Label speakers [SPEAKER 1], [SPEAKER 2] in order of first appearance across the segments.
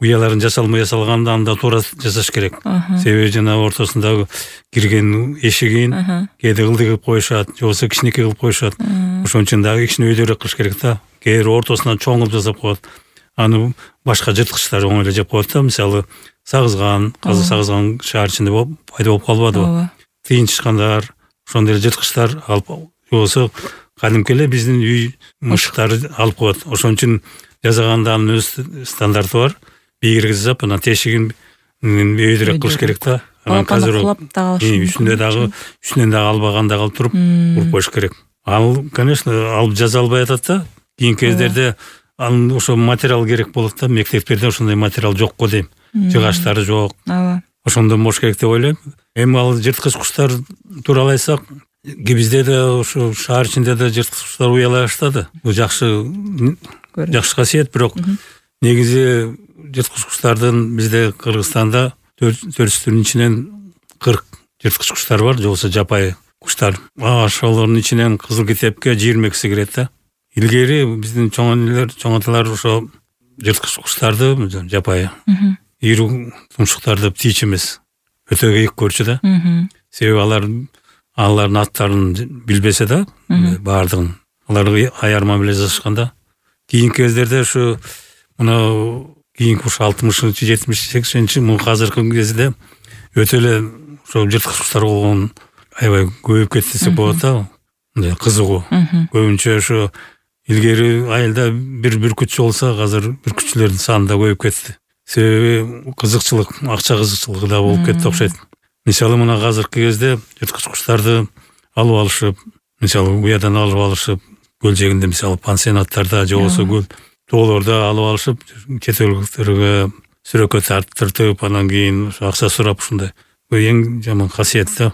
[SPEAKER 1] уяларын жасалмай жасалганда анда туура жасаш керек. Себеби жана ортосундагы кирген эшигин кээде ылдый кылып коюшат, же болбосо кичинекей кылып коюшат. Ошон үчүн дагы кичине өйдөрөөк кылыш керек да. Кээ ортосунан чоң кылып жасап коет. Аны башка жырткычтар оңой эле жеп коет да. Мисалы сагызган, казы сагызган шаар ичинде пайда болуп калбадыбы? Тыйынчычкандар, ошондой эле жырткычтар алып, же болбосо кадимки эле биздин үй мышыктары алып коет. Ошон үчүн жасаганда анын өз стандарты бар. Бийгирге жасап, анан тешигин өйдөрөөк кылыш керек да. Анан казыр үстүнөн дагы албаганда калып туруп уруп коюш керек. Ал, конечно, алып жаза албай атат да. Кийинки кездерде анын ошо материал керек болот да. Мектептерде ошондой материал жок го дейм. Жыгачтары жок. Ошондон болуш керек деп ойлойм. Эми ал жырткыч куштар тууралуу айтсак, бизде да ошо шаар ичинде да жырткыч куштар уялай баштады. Бул жакшы касиет, бирок негизи жырткыч куштардын бизде Кыргызстанда 400 түрүнүн ичинен 40 жырткыч куштар бар, же болбосо жапайы куштар. Ошолордун ичинен кызыл китепке 22си кирет да. Илгери биздин чоң аталар ошо жырткыч куштарды жапайы ийрүү тумшуктарды птичь эмес, өтө кийик көрчү да. Себеби алардын аттарын билбесе да, баардыгын аларды аярма менен жазышканда. Кийинки кездерде ушу мына кийинки ушу 60-чы, 70-80-чи азыркы кезде өтө эле ошо жырткыч куштар болгон аябай көбөйүп кетти десек болот да. Кызыгуу. Көбүнчө ошо илгери айылда бир бүркүтчү болсо, азыр бүркүтчүлөрдүн саны да көбөйүп кетти. Себеби кызыкчылык, акча кызыкчылыгы да болуп кетти окшойт. Мисалы мына азыркы кезде жырткыч куштарды алып алышып, мисалы уядан алып алышып, көл жээгинде мисалы пансионаттарда же болбосо көл тоолордо алып алышып, чет өлкөлөргө сүрөккө тартыртып, анан кийин акча сурап ушундай. Бул эң жаман касиет да.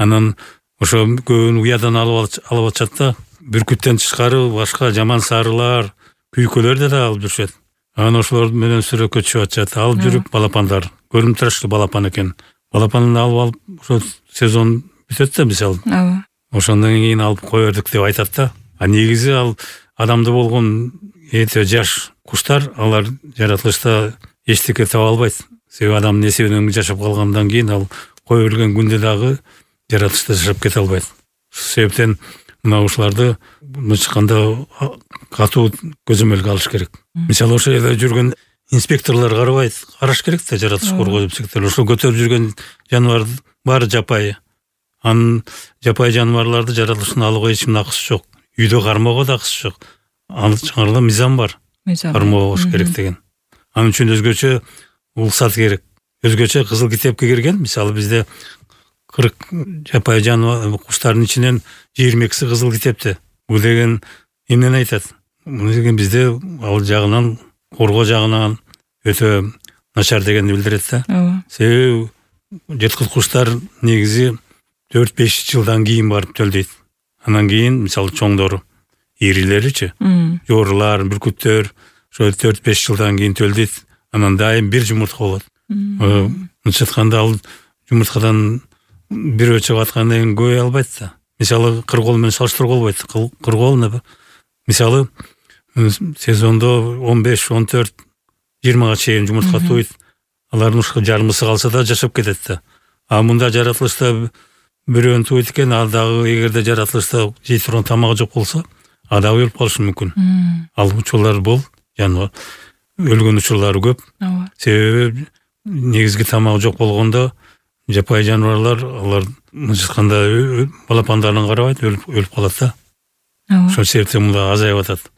[SPEAKER 1] Анан ошо көбүн уядан алып атышат да. Бүркүттөн тышкары башка жаман сарылар, күйкөлөр да алып жүрүшөт. Анан ошолор менен сүрөккө чыгып атышат. Алып жүрүп балапандар, көрүнүп балапан экен. Балапанын алып ошо сезон бүтөт да мисалы. Ошондон кийин алып кое бердик деп айтат да. А негизи ал адамда болгон эте жаш куштар, алар жаратылышта эчтеке таба албайт. Себеби адамдын эсебинен жашап калгандан кийин ал кое берилген күндө дагы жаратылышта жашап кете албайт. Ушул себептен мына ушуларды чыкканда катуу көзөмөлгө алыш керек. Мисалы ошол жерде жүргөн инспекторлор караш керек да, жаратылыш коргоо инспекторлор. Ошо көтөрүп жүргөн жаныбар баары жапайы. Анын жапайы жаныбарларды жаратылыштын алууга эч акысы жок. Үйдө кармоого да акысы жок. Анын чыгарда мыйзам бар. Кармоо болуш керек деген. Анын үчүн өзгөчө уруксат керек. Өзгөчө кызыл китепке кирген. Мисалы бизде 40 жапайы жаныбар куштардын ичинен 22си кызыл китепте. Бул деген эмнени айтат? Муну деген бизде ал жагынан, коргоо жагынан өтө начар дегенди билдирет да. Себеби жырткыч куштар негизи 4-5 жылдан кийин барып төлдөйт. Анан кийин мисалы чоңдору, ирилеричи, жоорулар, бүркүттөр ошо 4-5 жылдан кийин төлдөйт. Анан дайым бир жумуртка болот. Мынча айтканда ал жумурткадан бирөө чыгып аткандан кийин көбөй албайт да. Мисалы кыргоол менен салыштырууга болбойт. Кыргоол мисалы сезондо 15-14 20га чейин жумуртка туйт. Алардын ушул жарымысы калса да жашап кетет да. А мында жаратылышта бирөөнү туйт экен, ал дагы эгерде жаратылышта жей турган тамагы жок болсо, ал дагы өлүп калышы мүмкүн. Ал учурлар бол, жаныбар өлгөн учурлары көп. Себеби негизги тамагы жок болгондо жапайы жаныбарлар, алар мынча балапандарын карабайт, өлүп калат да. Ошол себептен мында азайып атат.